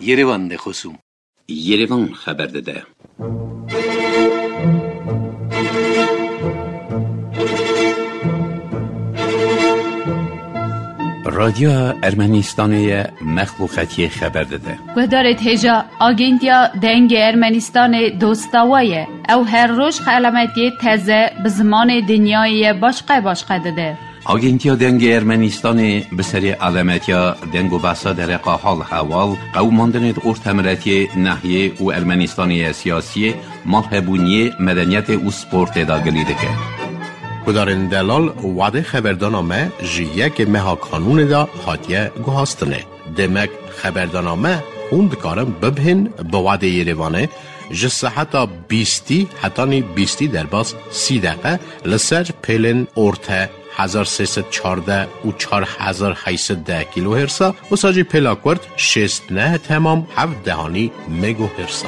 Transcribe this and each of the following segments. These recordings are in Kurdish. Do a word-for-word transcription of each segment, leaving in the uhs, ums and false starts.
Yerevan de xosûm. Yerevan xeber dide. Radyoya Ermenistanê ye, mexluqetiyê xeber dide. Guhdarê hêja, Agentiya Dengê Ermenistanê dosta we ye. Ew her roj xelametiyê teze bi zimanê dinyayê ye başqe başqe dide. Agentiya Dengê Ermenistanê bi serê alemetiya deng û behsa dereqa hal hewal, qewimandinê di ortemiletiyê, nehiyê û Ermenistanê ye siyasiyê, malhebûniyê, medeniyetê û sportê de gilî dike. Gudarên delal, wadê xeberdana me ji yekê meha kanûnê de hatiye guhastinê. Demek xeberdana me hûn dikarin bibihên bi wadê Yerevanê ji seheta bîstî hetanî bîstî derbas sî deqe li ser pêlên orte hezar sê sed çardeh û çar hezar heyt sed deh kîlohêrsa, wisa jî pêla kurt şêst neh temam heft dehanî megohêrsa.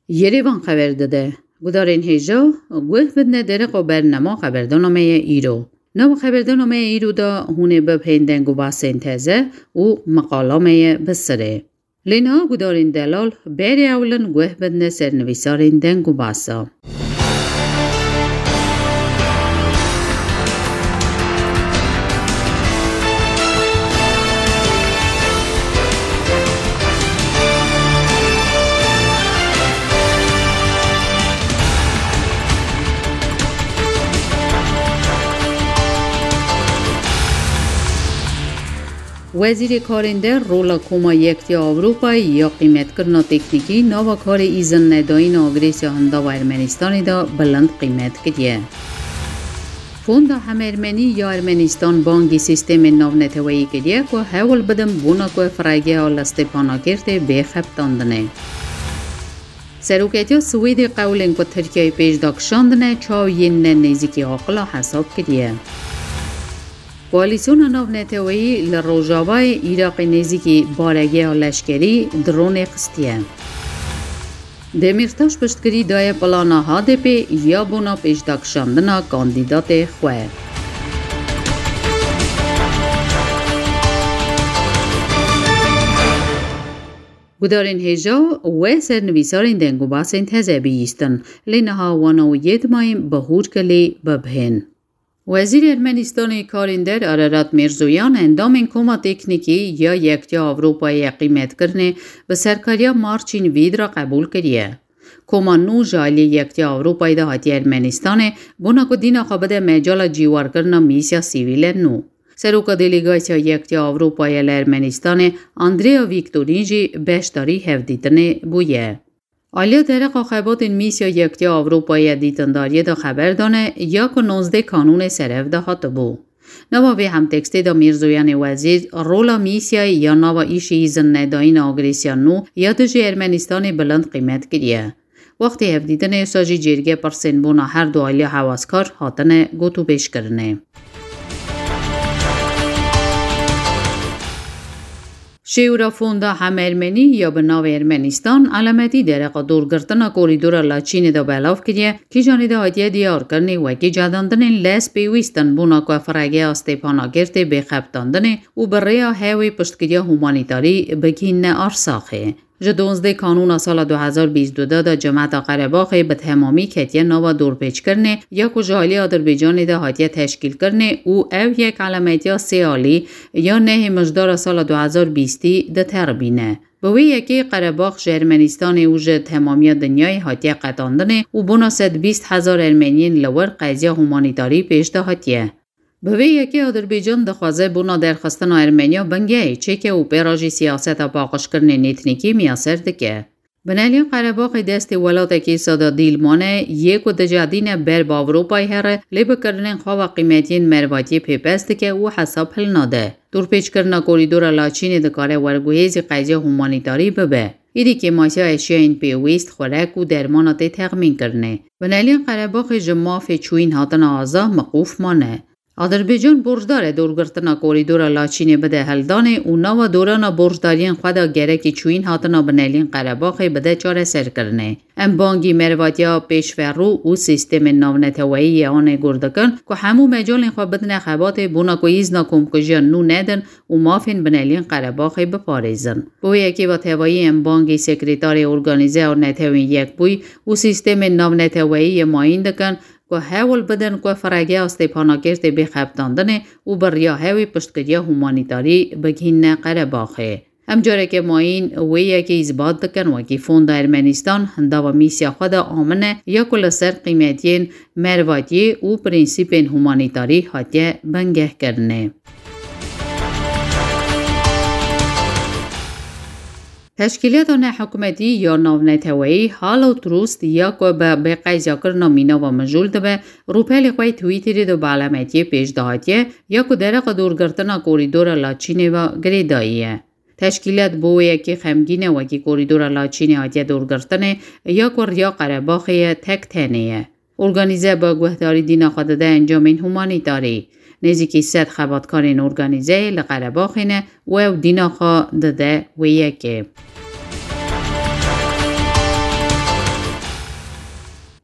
Yerevan xeber dide. Gudarên hêja, guh bidine dereqa bernama xeberdana me ye îro. Nava xeberdana me ye îro de hûn ê bibihên deng û behsên teze û meqala me ye bi sirê. Lê niha gudarên delal, berê ewlin guh bidine sernivîsarên deng û behsa. Wezîrê Karên Der rola Koma Yekitiya Ewropayê ya qîmetkirina teknîkî nava karê îzinnedayîna agresya hindava Ermenistanê de bilind qîmet kiriye. Fonda Hem Ermenî ya Ermenistan bangî sîstemên navneteweyî kiriye ku hewl bidin bona ku firegeha li Stepanakêrtê bê xebitandinê. Seroketiya Swêdê qewlên ku Tirkiyeyê pêş de kişandine, çaw yên ne nêzîkî aqila hesab kiriye. Koalîsyona navneteweyî li rojavayê Iraqê nêzîkî baregeha leşkerî dronê xistiye. Demîrtaş piştgirî daye plana H D P ya bona pêşdakişandina kandîdatê xwe. Gudarên hêja we sernivîsarên deng û basên teze bihîstin, lê niha wana û yê dimayîn bi hûrkilî bibihên. Wezîrê Ermenistanê Karên Der Ararat Mirzoyan endamên Koma Teknîkî ya Yektiya Ewropayê ya Qîmetkirinê bi serkariya Marçîn Vîd re qebûl kiriye. Koma nû ji aliyê Yektiya Ewropayê de hatiye Ermenistanê, bona ku dîna xwe bide mecala cîwarkirina mîsya sivîlên nû. Seroka Delegasiya Yektiya Ewropayê li Ermenistanê, Andrea Viktorîn jî beşdarî hevdîtinê bûye. Aliya dereqa xebatên mîsya Yektiya Ewropayê ya dîtindariyê de xeber dane ya ku nozdeh kanûnê serev de hatibû. Nava vê hemtekstê de Mîrzoyanê Wezîr rola mîsyayê ya nava îşê îzinnedayîna agresya nû ya dijî Ermenistanê bilind qîmet kiriye. Wextê hevdîtinê wisa jî cêrgê pirsên bona her du aliya hewaskar hatine gotûbêjkirinê. Şêwra Fonda Hem Ermenî ya bi navê Ermenistan, elemetî dereqa dorgirtina korîdora Laçînê de belav kiriye, kîjanê de hatiye diyarkirinê wekî cedandinên lez pêwîst in bona ku firegeha Stêpanakertê bê xebitandinê û bi rêya hewê piştgiriya humanîtarî bigihînine Arsaxê. Ji duwazdeh Kanûna sala du hezar bîst û du de Cemeta Qerebaxê bi temamî ketiye nava dorpêçkirinê ya ku ji alî Adirbaycanê de hatiye teşkîlkirinê û ev yek elemetiya sê alî ya nehê Mijdara sala du hezar bîstî diteribîne. Bi wê yekê Qerebax ji Ermenistanê û ji temamiya dinyayê hatiye qetandinê û bona sed bîst hezar Ermeniyên li wir qeziya humanîtarî pêş de hatiye. Bi vê yekê Adirbaycan dixwaze bona derxistina Ermeniya bingehê çêke û pê re jî siyaseta paqijkirinên etnîkî miyaser dike. Binaliya Qerebaxê destê welatekî sada dîl mane, yê ku dicedîne ber bi Ewropayê here, lê bi kirinên xwe ve qîmetiyên mervatiyê pêpes dike û hesab hilnade. Dorpêçkirina korîdora Laçînê dikare werguhêzî qeziya humanîtarî bibe. Êdî kêmasiya eşyayên pêwîst, xurek û dermana tê texmînkirinê. Binaliya Qerebaxê ji mafê çûyîn hatina aza miqûf mane. Adirbaycan borcdar e dorgirtina korîdora Laçînê bide heldanê û nava dorana borcdariyên xwe de gerekî çûyîn hatina binelîn Qerebaxê bide çareserkirinê. Em bangî mervatiya pêşverû û sîstemên navneteweyî yê anê gur dikin ku hemû mecalên xwe bidine xebatê bona ku îzna komkujiyan nû nedin û mafên binelîn Qerebaxê biparêzin. Bi wê yekê ve tevayî em bangî sekretarê organîze a Netewên Yekbûyî û sîstemên navneteweyî yê mayîn dikin ku hewl bidin ku firegeha Stêpanakêrtê bê xebitandinê û bi riya hewê piştgiriya humanîtarî bigihînne Qerebaxê. Em careke mayîn wê yekê îsbat dikin, wekî Fonda Ermenistan hindava mîsya xwe de amine ya ku li ser qîmetiyên mervatiyê û prensîpên humanîtarî hatiye bingehkirinê. Teşkîlata nehikûmetî ya navneteweyî Hallo Trust ya ku bi bêqezyakirina mîna ve mijûl dibe, rûpelê xwe yê Twitterê de bi elemetiyê pêş de hatiye ya ku dereqa dorgirtina korîdora Laçînê ve girêdayî ye. Teşkîlat bo wê yekê xemgîn e, wekî korîdora Laçînê hatiye dorgirtinê ya ku riya Qerebaxê ye tek tenê ye. Organîze bi guhdarî dîna xwe dide encamên humanîtarî. Nêzîkî sed xebatkarên organîzeyê li Qerebaxê ne û ew dîna xwe dide wê yekê.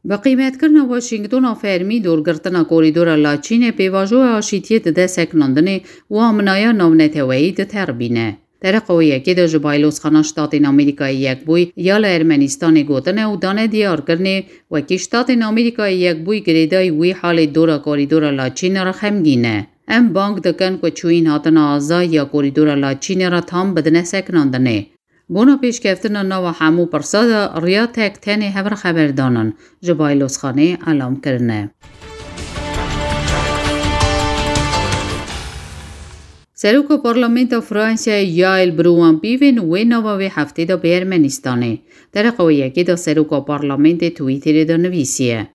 Bi qîmetkirina Washingtona fermî dorgirtina korîdora Laçînê pêvajoya aşîtiyê dide sekinandinê û aminaya navneteweyî diterbîne. Dereqa wê yekê de ji Baylozxana Ştatên Amerîkayê Yekbûyî ya li Ermenistanê gotine û dane diyarkirinê, wekî Ştatên Amerîkayê Yekbûyî girêdayî wî halê dora korîdora Laçînê re xemgîn e. Em bang dikin ku çûyîn hatina aza ya korîdora Laçînê re tam bidine sekinandinê. Bona pêşkeftina nava hemû pirsa de riya tek tenê hevrexeberdanan ji Baylozxanê elam kirine. Seroka Parlamenta Fransayê Yael Brouin-Piven wê nava vê heftê de bê Ermenistanê. Dereqa wê yekê de Seroka Parlamentê Twitterê de nivîsiye: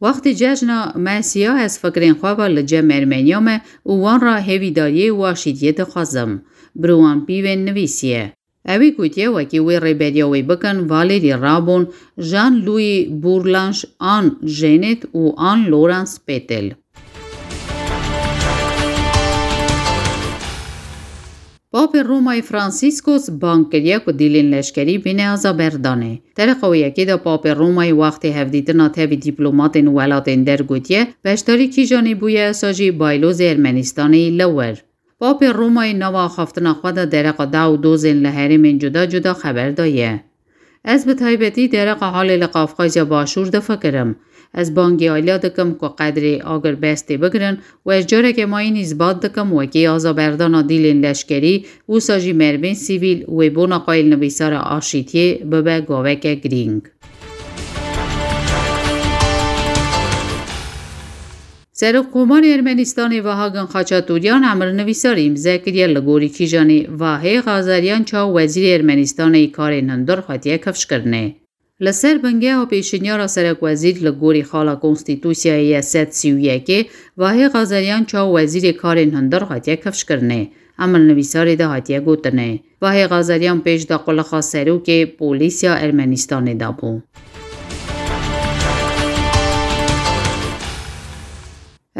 Wextê cejna me siya ez fikrên xwe ve li cem Ermeniya me û wan re hêvîdariyê û aşîtiyê dixwazim. Brouin-Piven nivîsiye. Ewî gotiye wekî wê rêberiya wê bikin Valérie Rabon, Jean-Louis Bourlanges, Anne Genet û Anne-Laurence Pétel. Papê Romayê Franciscus bang kiriye ku dîlên leşkerî bêne azaberdanê. Dereqa wê yekê de Papê Romayê wextê hevdîtina tevî dîplomatên welatên der gotiye, beşdarî kîjanê bûye, esa jî Baylozê Ermenistanê yî li wir. Papê Romayê nava axaftina xwe de dereqa daw dozên li herêmên cuda cuda xeber daye. Ez bi taybetî dereqa halê li Qafqazya Başûr difikirim. Ez bangî aliya dikim ku qedrê agirbestê bigirin û ez careke mayîn îsbat dikim wekî azaberdana dîlên leşkerî, wisa jî merivên sivîl wê bona qayîlnivîsara aşîtiyê bibe gaveke girîng. Serokkomarê Ermenistanê Vahagin Xaçatûryan emirnivîsarî îmze kiriye, li gorî kîjanê Vahê Xazeryan çaw wezîrê Ermenistanê yî karên hundir hatiye kifşkirinê. Li ser bingeha pêşinyara serekwezîr li gorî xala Konstîtûsyayê yê sed sî û yekê, Vahê Xazeryan çaw wezîrê karên hundir hatiye kifşkirinê. Emirnivîsarê de hatiye gotinê. Vahê Xazeryan pêş de qulixa serokê polîsya Ermenistanê de bû.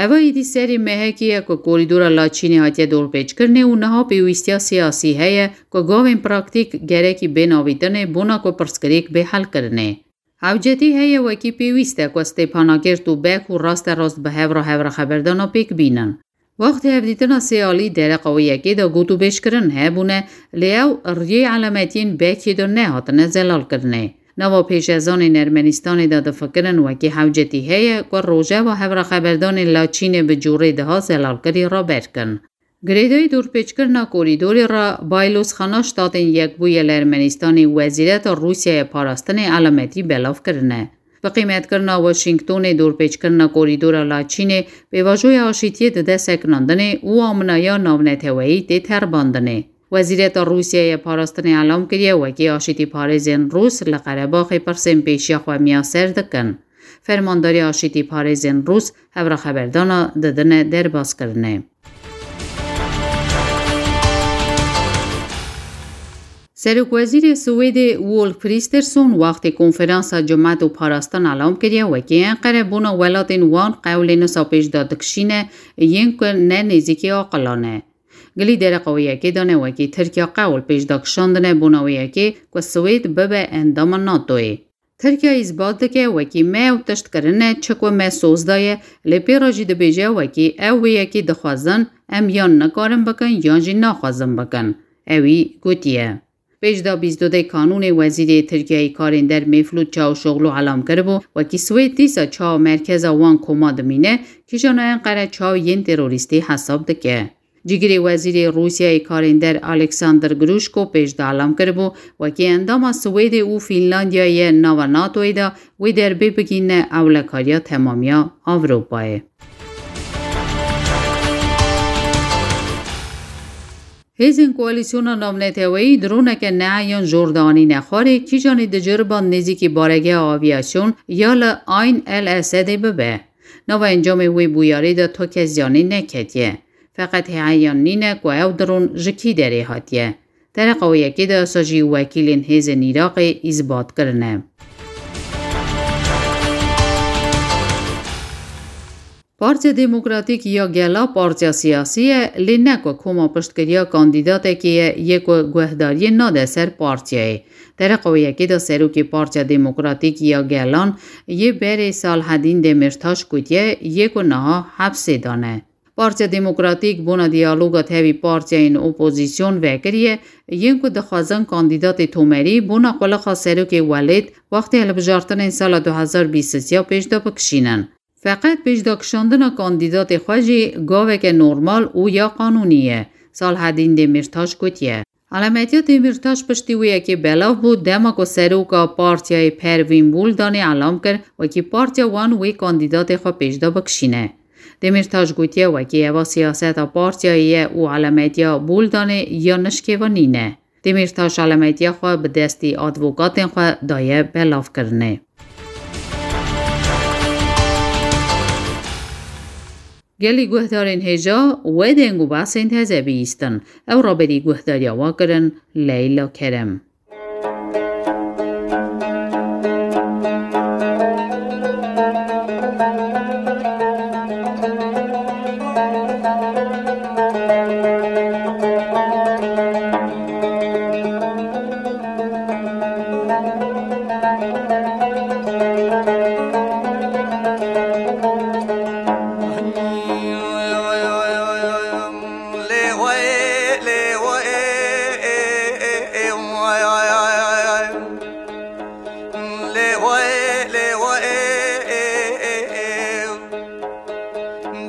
Eva êdî serê mehekê ye ku korîdora Laçînê hatiye dorpêçkirinê û niha pêwîstiya siyasî heye ku gavên praktîk gerekî bên avîtinê bona ku pirsgirêk bê helkirinê. Hewcetî heye wekî pêwîst e ku Stêpanakert û Bek û rasterast bi hev re hevrexeberdana pêk bînin. Wextê hevdîtina sê alî dereqa wê yekê de gotûbêjkirin hebûne, lê ew riyê elemetiyên Bekê de nehatine zelalkirinê. Nava pêşezanên Ermenistanê de difikirin wekî hewcetî heye ku rojeva hevrexeberdanên Laçînê bi cûrê diha zelalkirî raber kin. Girêdayî dorpêçkirina korîdorê re Baylozxana Ştatên Yekbûyî li Ermenistanê wezîreta Rûsyayê parastinê elemetî belav kirine. Bi qîmetkirina Washingtonê dorpêçkirina korîdora Laçînê pêvajoya aşîtiyê dide sekinandinê û aminaya navneteweyî tê terbandinê. Wezîreta Rûsyayê parastinê elam kiriye wekî aşîtîparêzên Rûs li Qerebaxê pirsên pêşiya xwe miyaser dikin. Fermandarê aşîtîparêzên Rûs hevrexeberdana didine derbaskirinê. Serokwezîrê Swêdê Wolf Kristersson wextê konferansa Cimet û Parastin elam kiriye, wekî Enqere bona welatên wan qewlê nisa pêş de dikişîne, yên ku ne nêzîkî aqilan e. Gilî dereqa wê yekê de ne, wekî Tirkiya qewl pêş de kişandine bona wê yekê ku Swêd bibe endama NATOyê. Tirkiye îsbat dike, wekî me ew tişt kirine, çi ku me soz daye, lê pê re jî dibêje, wekî ew wê yekê dixwazin, em yan nikarin bikin, yan jî naxwazin bikin. Ewî gotiye. Pêş de bîst û dê Kanûnê wezîrê Tirkiyeyê karên der Mevlût Çavuşoglu elam kiribû, wekî Swêd dîsa çawa merkeza wan koma dimîne, kîjan Enqere çaw yên terorîstî hesab dike. Cîgirê wezîrê Rûsyayê karên der Alexander Gruşko pêş de elam kiribû, wekî endama Swêdê û Fînlandiyayê nava NATOyê de wê derbê bigihîne ewlekariya temamiya Ewropayê. Hêzên Koalîsyona Navneteweyî droneke neheyan jor de anîne xwarê, kîjanî di ceriban nêzîkî baregeha avîyasyon ya li Ayn El Esedê bibe. Nava encamê wê bûyerê de tu kes ziyanê neketiye. Feqet heyan nîne ku ew dron ji kî derê hatiye. Dereqa wê yekê de wisa jî wekîlên hêzên Iraqê îsbat kirine. Partiya Demokratîk ya Gela partiya siyasî ye, lê ne ku koma piştgiriya kandîdatekê ye, yê ku guhdariyê nade ser partiyayê. Dereqa wê yekê de serokê Partiya Demokratîk ya Gelan yê berê Salhedîn Demîrtaş gotiye, yê ku niha hepsê de ne. Partiya Demokratîk bona diyaloga tevî partiyayên opozîsyon vekiriye, yên ku dixwazin kandîdatê tomerî bona qulixa serokê welêt wextê hilbijartinên sala du hezar bîst û sê ya pêş de bikişînin. Feqet pêşdakişandina kandîdatê xwe jî gaveke normal û ya qanûnî ye, Salhedîn Demîrtaş gotiye. Elametiya Demîrtaş piştî wê yekê belav bû, dema ku seroka partiyayê Pervîn Buldanê elam kir, wekî partiya wan wê kandîdatê xwe pêş de bikişîne. Demîrtaş gotiye, wekî eva siyaseta partiyayê ye û elametiya Buldanê ya nişkêvanî ne. Demîrtaş elametiya xwe bi destî advokatên xwe daye belavkirinê. Gelî guhdarên hêja, we deng û behsên teze bihîstin. Ew raberî guhdariya we kirin, Leyla Kerem.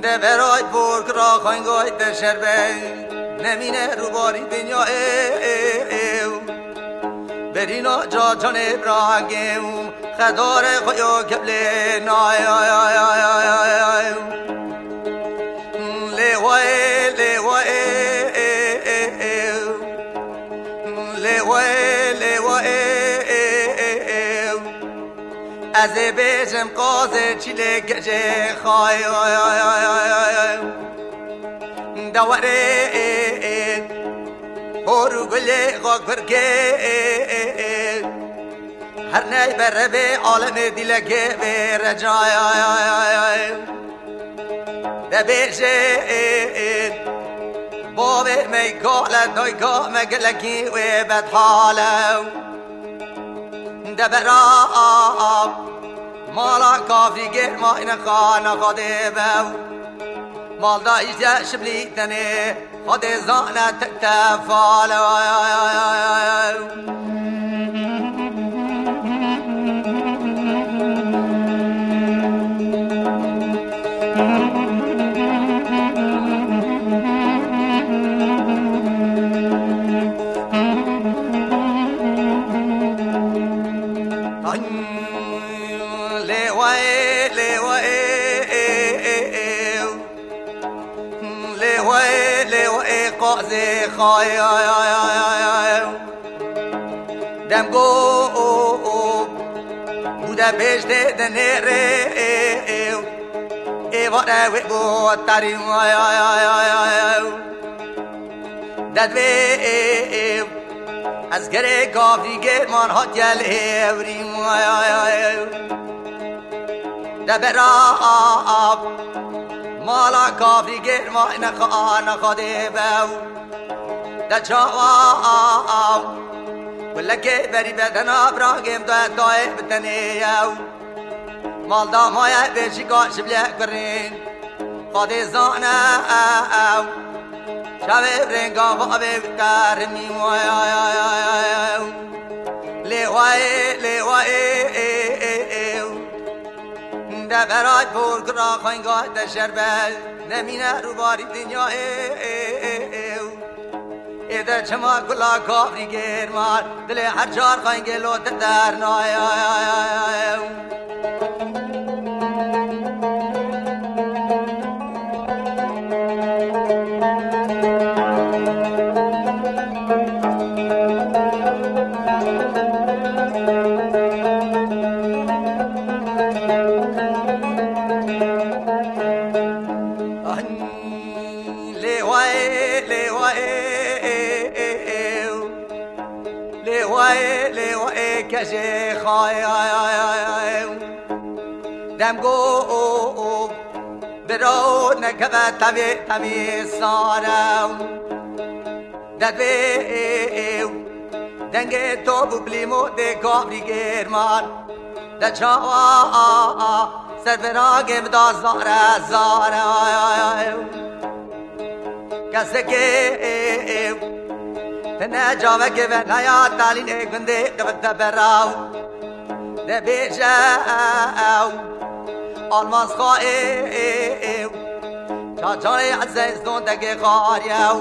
Deveray borg ra xangay de şerbe, nemîne rûbarî dinya ê, ê, ê. Berîna ca canê biragê û xedare xwe yo geblê nay, ay, ay. Lê wayê, lê wayê, ê, ê, ê. Lê wayê, lê wayê, ê, ê, ê. Ez ê bêjim qazê çîlê gecê xay, ay, ay. Dewerê, ê, ê. Hor û gulê xwe kurkê, ê, ê, ê. Her ney berevê alemê dîlekê vê recay, ay, ay, ay, ay. Debêje, ê, ê, bavê me gale, dayka me gelekî wê bedhale. Debera, a, a, mala kafî gêr ma ine xana Xwedê be. Malda îşte şimlî tenê Xwedê zane tek tefal. Ay, lê wayê, lê wayê, ê, ê, ê. Lê wê, lê wê qazê xay, ay, ay, ay, ay, ay. Dem go, o, o. Bû de bêjtê de nêrê, ê, ê. Ê vare wê bo tarî, ay, ay, ay, ay, ay, ay. Ded vê, ê, ê. Ez gerê gavrî gêrman hatiye li hêvrî. De bera av mala gavrî gêrma nexa nexa dê bew. De çawa av gulekê berî bedena birangêm de dayê bi tenê yew. Malda maye bêjîka ji bilek birîn. Xwedê zane ew. Çavê rênga bavê wî terimî. Lê wayê, lê wayê, ê, ê, ê, ê. De beray por kira xenga de şerbe. Nemîne rûbarî dinya, ê, ê, ê, ê. Ê de çima gula kavrî gêrmar, dilê her çar xengê lo te dernaye. Lê wayê, lê wayê, ê, ê, ê, ê, lê wayê, lê wayê, kejê xayê, ay, ay, ay, ay. Dem go, o, o, biro nekeve tevê, tevê sare. Dedvê, ê, ê, dengê top û bilîmo dê kavrî gêrmar. De çawa, a, a, ser viragê min da zare, zare, ay, ay, ay. Kesekê, ê, ê, tine cavekê ve naya talînê gundê qivite beraw. De bêje, ew, almaz xwa, ê, ê, ê. Çaçarê ezê zondegê xariyew.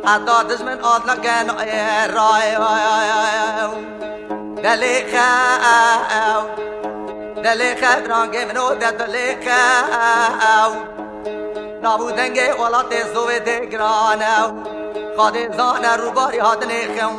Heta dijmin adlakên ê rayew. Delê xew. Delê xev rangê min o de dilê xew. Nav û dengê welatê zovê dê giran ew. Xadê zane rûbarî hatinê xew.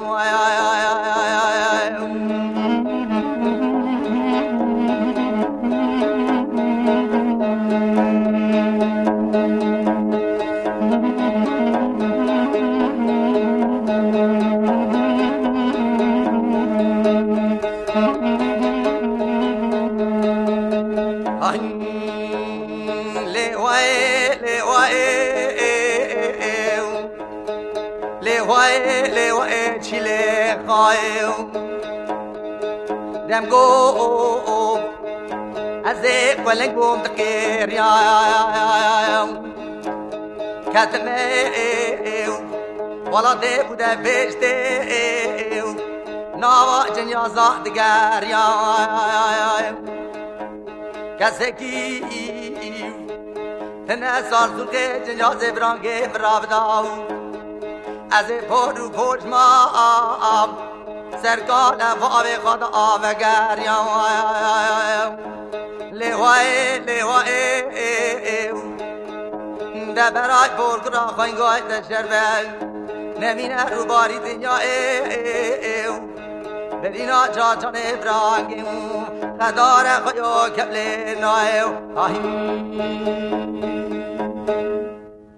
Ay, lê wayê, lê wayê, ê, ê, ê, ê. Lê wayê, lê wayê, çîlê xayê. Dem go, o, o, ez ê xweleng bûm diqêriyam. Ketime, ê, ê, welatê û de vêştê, ê, ê, nava cinyaza digeriyam. Kesekî tine sar zûrkê cinya zêbrangê min ravida. Ez ê por û pojma serkale vavê xwe de avegeriyam. Lê wayê, lê wayê, ê, ê, ê. De beray por kira xwengay de şerbe. Nemîne rûbarî dinya, ê, ê, ê. Berîna cacanê birangê û qedare xwe yo kevlê nayê û ahî.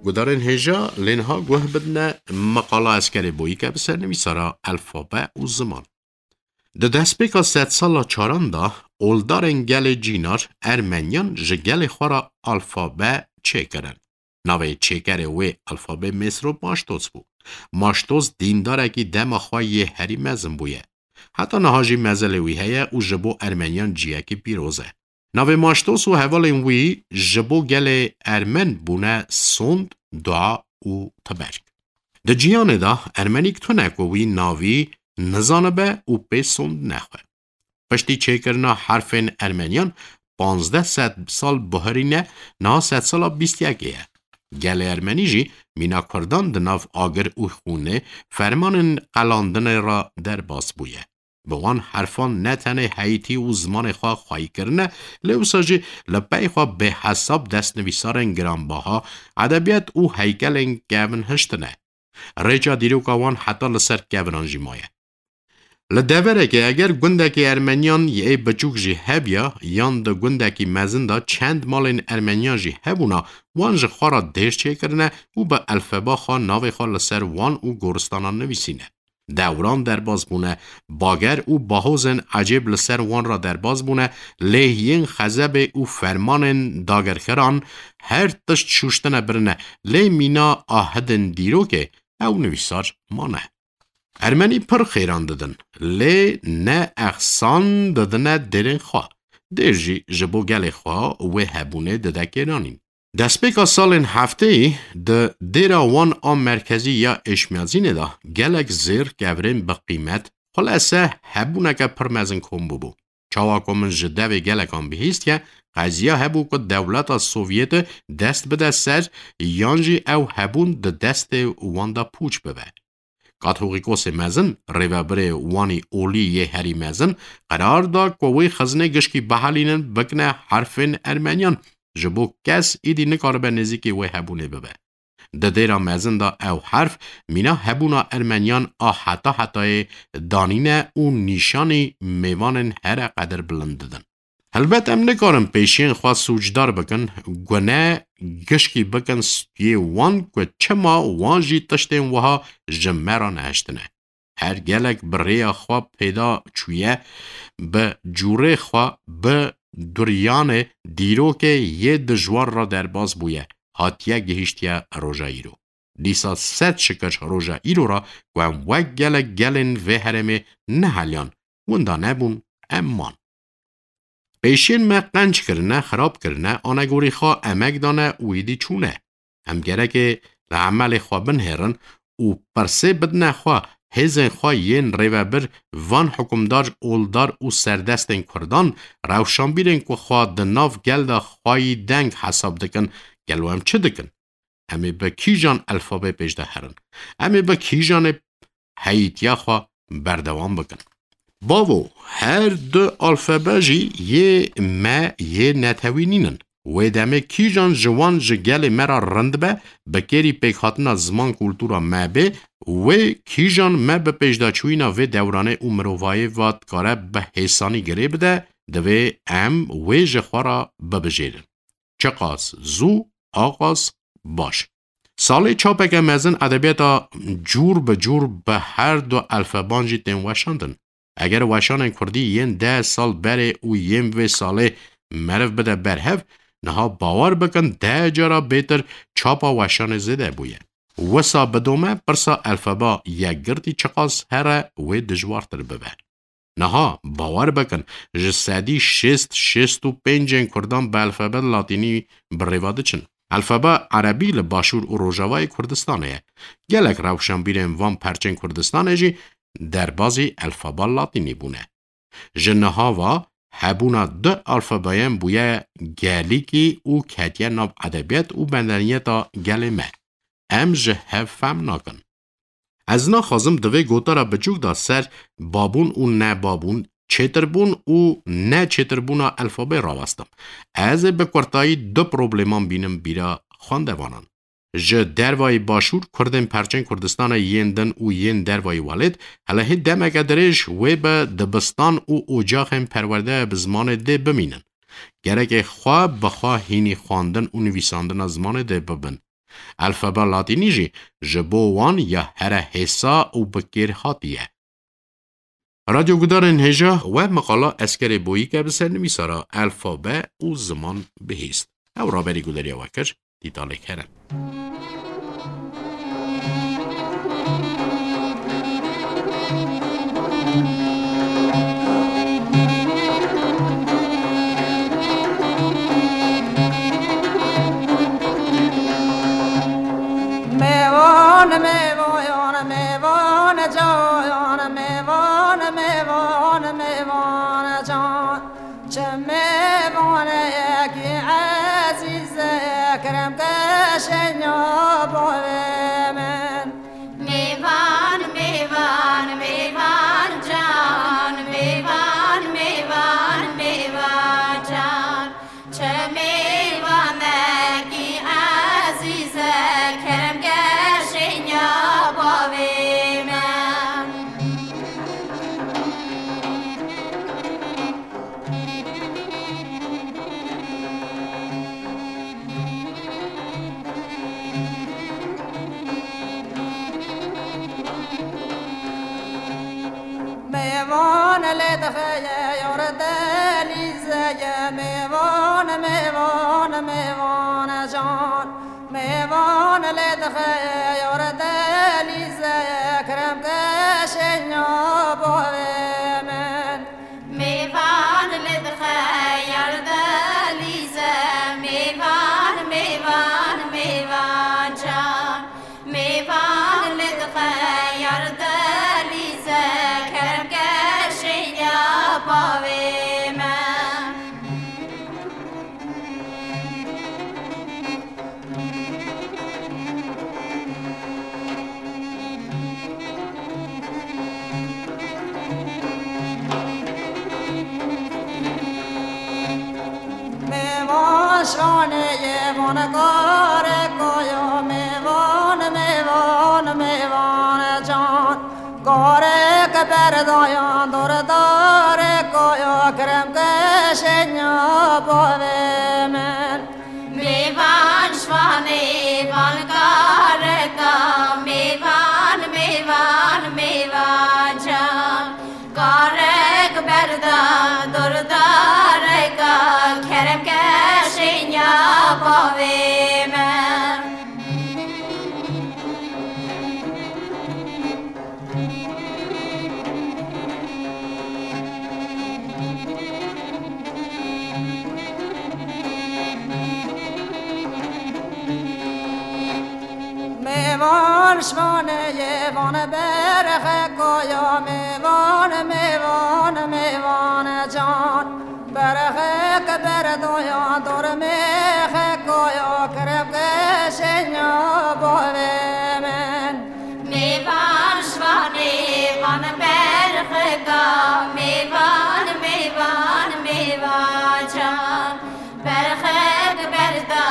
Gudarên hêja lê niha guh bidine meqala Eskerê Boyîke bi sernivîsara Elfabe û Ziman. Di destpêka sedsala çaran de oldarên gelê Cînar Ermeniyan ji gelê xwe re alfabe çêkirin. Navê çêkerê wê alfabê Mêsrop Maştos bû. Maştos dîndarekî dema xwe yê herî mezin bûye. Heta niha jî mezelê wî heye û ji bo Ermeniyan ciyekî pîroz e. Navê Maştos û hevalên wî ji bo gelê Ermen bûne sond, dua û tiberk. Di ciyanê de Ermenîk tune ku wî navî nizanibe û pê sond nexwe. Piştî çêkirina herfên Ermeniyan panzdeh sed sal bihurîne, niha sedsala bîst yekê ye. Gelê Ermenî jî mîna Kurdan di nav agir û xûnê fermanên qelandinê re derbas bûye. Bi wan herfan ne tenê heyîtî û zimanê xwe xweyî kirine, lê wisa jî li pey xwe bêhesab destnivîsarên giranbaha, edebiyat û heykelên kevin hiştine. Rêça dîroka wan heta li ser kevinan jî maye. Li deverekê eger gundekî Ermeniyan yê biçûk jî hebiya, yan di gundekî mezin de çend malên Ermeniyan jî hebûna, wan ji xwe re dêr çêkirine û bi elfeba xwe navê xwe li ser wan û goristanan nivîsîne. Dewran derbas bûne, bager û bahozên ecêb li ser wan re derbas bûne, lê yên xezebê û fermanên dagirkeran her tişt şûştine birine, lê mîna ahidên dîrokê ew nivîsar mane. Ermenî pir xêran didin, lê ne exsan didine dêrên xwe. Dêr jî ji bo gelê xwe wê hebûnê dide kêranîn. Destpêka salên hefteyî di dêra wan a merkezî ya Êşmiyazînê de gelek zêr, kevirên bi qîmet, xulese hebûneke pir mezin kom bûbû. Çawa ku min ji devê gelekan bihîstiye, qeziya hebû ku dewleta Sovyetê dest bide ser, yan jî ew hebûn di destê wan de pûç bibe. Katholikosê mezin, rêvebirê wanî olî yê herî mezin, qerar da ku wê xizinê gişkî bihelînin bikine herfên ermeniyan, ji bo kes êdî nikaribe nêzîkî wê hebûnê bibe. Di dêra mezin de ew herf mîna hebûna ermeniyan a heta hetayê danîne û nîşanî mêvanên here qedirbilind didin. Helbet em nikarin pêşiyên xwe sûcdar bikin, gune gişkî bikin stûyê wan ku çima wan jî tiştên wiha ji me re nehiştine. Her gelek bi rêya xwe pêda çûye, bi cûrê xwe, bi duriyanê dîrokê yê dijwar re derbas bûye, hatiye gihîştiye roja îro. Dîsa sed şikir roja îro re ku em wek gelek gelên vê herêmê neheliyan, winda nebûn, em man. Pêşiyên me qenc kirine, xirab kirine, anegorî xwe emek dane û êdî çûne. Em gerekê li emelê xwe binihêrin û pirsê bidine xwe, hêzên xwe yên rêvebir, van hikûmdar, oldar û serdestên kurdan, rewşanbîrên ku xwe di nav gel de xweyî deng hesab dikin, gelo em çi dikin? Em ê bi kîjan elfabê pêş de herin? Em ê bi kîjanê heyîtiya xwe berdewam bikin? Bavo, her du alfabe jî yê me yê netewî nînin. Wê demê kîjan ji wan ji gelê me re rind be, bi kêrî pêkhatina ziman kultura me bê, wê kîjan me bi pêşdaçûyîna vê dewranê û mirovayê ve dikare bi hêsanî girê bide, divê em wê ji xwe re bibijêrin. Çiqas zû, aqas baş. Salê çapeke mezin edebiyata cûr bi cûr bi her du elfeban jî tên weşandin. Eger weşanên kurdî yên deh sal berê û yên vê salê meriv bide berhev, niha bawer bikin deh cara bêtir çapa weşanê zêde bûye. Wisa bidome pirsa elfeba yekgirtî çiqas here wê dijwartir bibe. Niha, bawer bikin, ji sedî şêst, şêst û pêncên kurdan bi elfabet latînî bi rêva diçin. Elfaba erebî li başûr û rojavayê Kurdistanê ye. Gelek rewşenbîrên van perçên Kurdistanê jî derbazî elfaba latînî bûne. Ji niha ve hebûna du alfabeyan bûye gelîkî û ketiye nav edebiyat û medeniyeta gelê me. Em ji hev fehm nakin. Ez naxwazim di vê gotara biçûk de ser babûn û nebabûn, çêtirbûn û neçêtirbûna elfabê rawestim. Ez ê bi kurtayî du probleman bînim bîra xwendevanan. Ji dervayî başûr, kurdên perçên Kurdistanê yên din û yên dervayî welêt, hele hê demeke dirêj wê bi dibistan û ocaxên perwerde bi zimanê dê bimînin. Gerek ê xwe bi xwe hînî xwendin û nivîsandina zimanê dê bibin. Elfaba latînî jî ji bo wan ya here hêsa û bi kêr hatiye. Radyogudarên hêja, we meqala Eskerê Boyîke bi sernivîsara elfabe û ziman bihîst. Ew raberî gudariya we kir, dîtalek herin. Mêvan, mêvan, mêvan can, mêvan, mêvan, mêvan can. Çi mêvanekî ezîz e, kerem ke şenya bavê min. Mêvan, mêvan, mêvan can, mêvan, mêvan, mêvan can. Çi mêvanekî ezîz e, kerem ke şenya bavê min. Lê dixeye yar delîzeye mêvan, mêvan, mêvan can. Mêvan lê dixeye yar delîzeye, kerem ke şênya bavê min. Mêvan lê dixeye yar delîze, mêvan, mêvan, mêvan can. Mêvan li dixe yar delîze, kerem ke şênya bavê me. Mêvan şanê yê van karê koyo, mêvan, mêvan, mêvan can. Karê ke berdayan dordarê koyo, kerem ke şênya bavê min. Mêvan şvanê van kareka, mêvan, mêvan, mêvan can. Karek berda dordareka, kerem ke şênya bavê me. Mêvan şvanê yê van berxe koya, mêvan, mêvan, mêvan can. Berxek berdoya dor mêxe koya, kerem ke şênya bavê min. Mêvan şvanê van berxeka, mêvan, mêvan, mêvan can. Berxek berda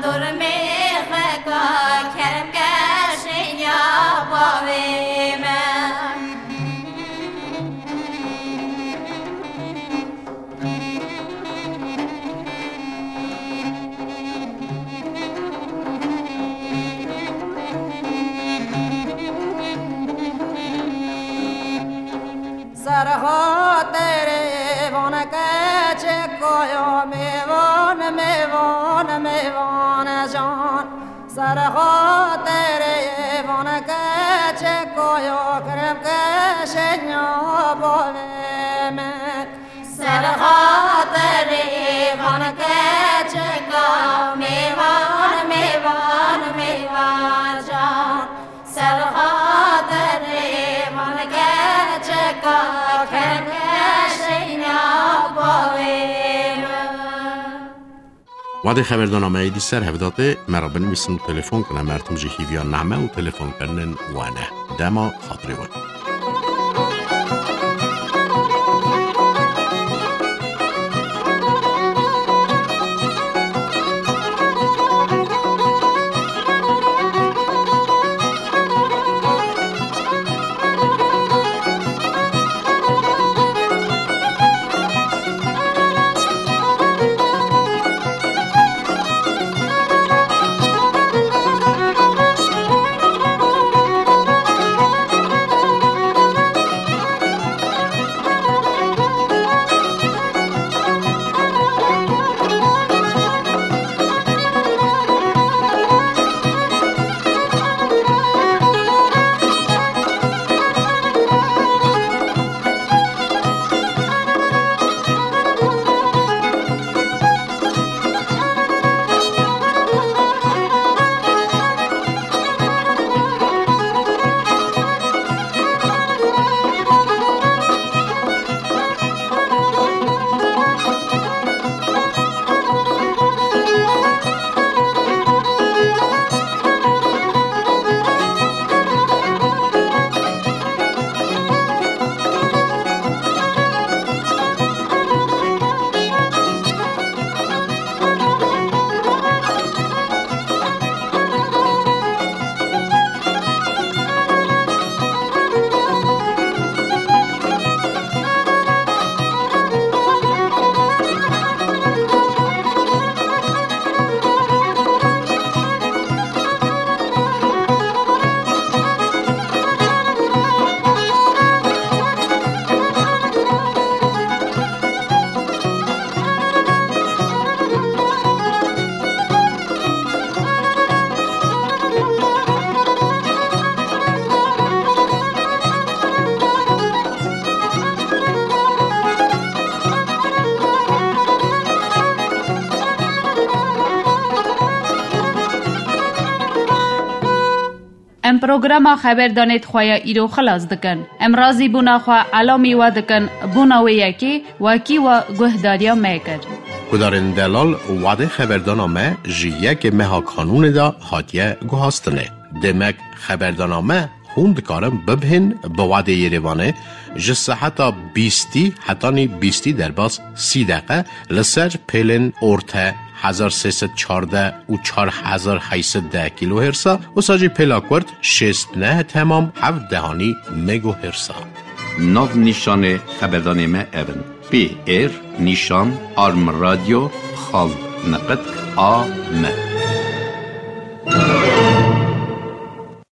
dor mêxeka, kerem ke şênya bavê me. Serxaterê van keçeko yo, mêvan, mêvan, mêvan can. Serxaterê van keçeko yo, kerem ke şênya bavê min. Serxaterê van keçeka, mêvan, mêvan, mêvan can. Serxaterê van keçeka, kerem ke şênya bavê min. Wadê xeberdana me êdî ser hev datê, me re binivîsin û telefon kine. Mertim jî hîviya name û telefonkirinên we ne. Dema xatirê we. Em programa xeberdanê di xwe ya îro xilas dikin. Em razîbûna xwe elamî we dikin bona wê yekê wekî we guhdariya me kir. Guhdarên delal, wadê xeberdana me ji yekê meha Kanûnê de hatiye guhastinê. Demek xeberdana me hûn dikarin bibihên bi wadê Yerêvanê ji seheta bîstî hetanî bîstî derbas sî deqe li ser pêlên orte hezar sê sed çardeh û çar hezar heyt sed deh kilohertz a, wisa jî pêla kurt şêst neh temam heft dehanî megahertz a. Nav nîşanê xeberdanê me ev in: P R nîşan arm radio xal neqet a m.